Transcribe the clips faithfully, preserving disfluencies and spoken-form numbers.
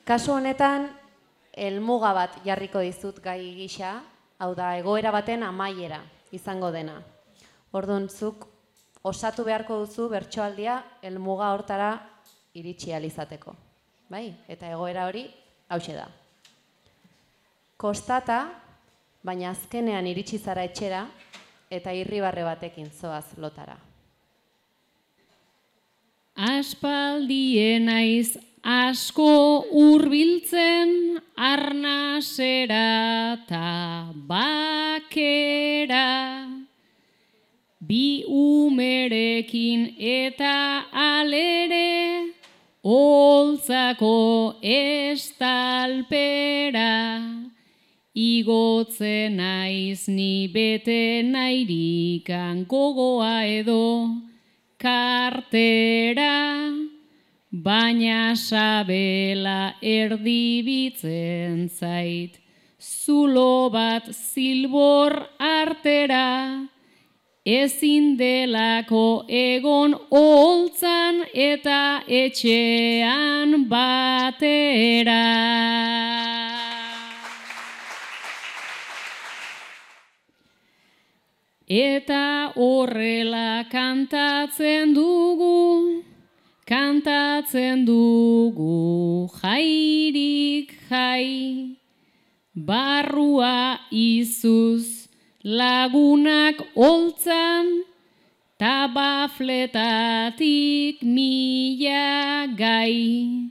Kasu honetan, helmuga bat jarriko dizut gai gisa, hau da, egoera baten amaiera izango dena. Orduan, zuk osatu beharko duzu bertsoaldia helmuga hortara iritsi ahal izateko. Bai? Eta egoera hori hauxe da. Kostata, baina azkenean iritsi zara etxera eta irribarre batekin zoaz lotara. Aspaldien naiz asko hurbiltzen arnasera ta bakera, bi umerekin eta alere holtzako estalpera, igotzen naiz ni bete nairikan gogoa edo kartera, baina sabela erdibitzen zait, zulo bat zilbor artera, ezin delako egon holtzan eta etxean batera. Eta horrela kantatzen dugu, kantatzen dugu jairik jai, barrua izuz lagunak holtzan, ta bafletatik mila gai,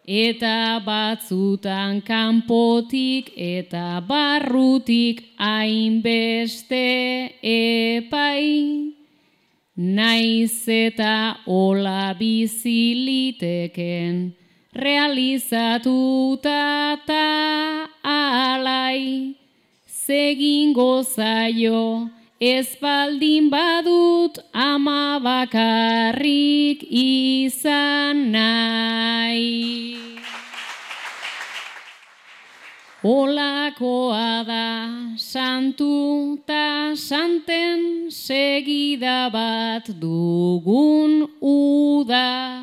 eta batzutan kanpotik eta barrutik hainbeste epai, naiz eta hola biziliteken realizatuta ta alai, zegingo zaio ez baldin badut ama bakarrik izan nahi. Holakoa da santu ta santen segida bat dugun uda,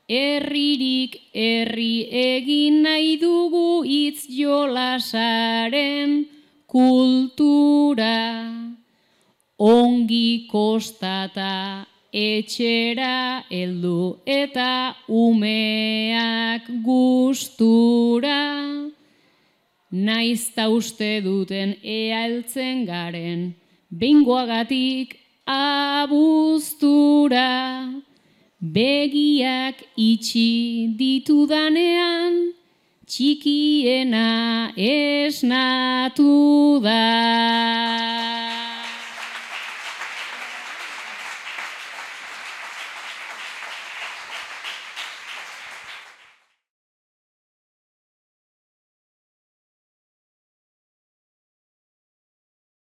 herririk herri egin nahi dugu hitz jolasaren kultura, ongi kostata etxera heldu eta umeak gustura, naizta uste duten ea heltzen garen behingoagatik abuztura, begiak itxi ditudanean txikiena esnatu da.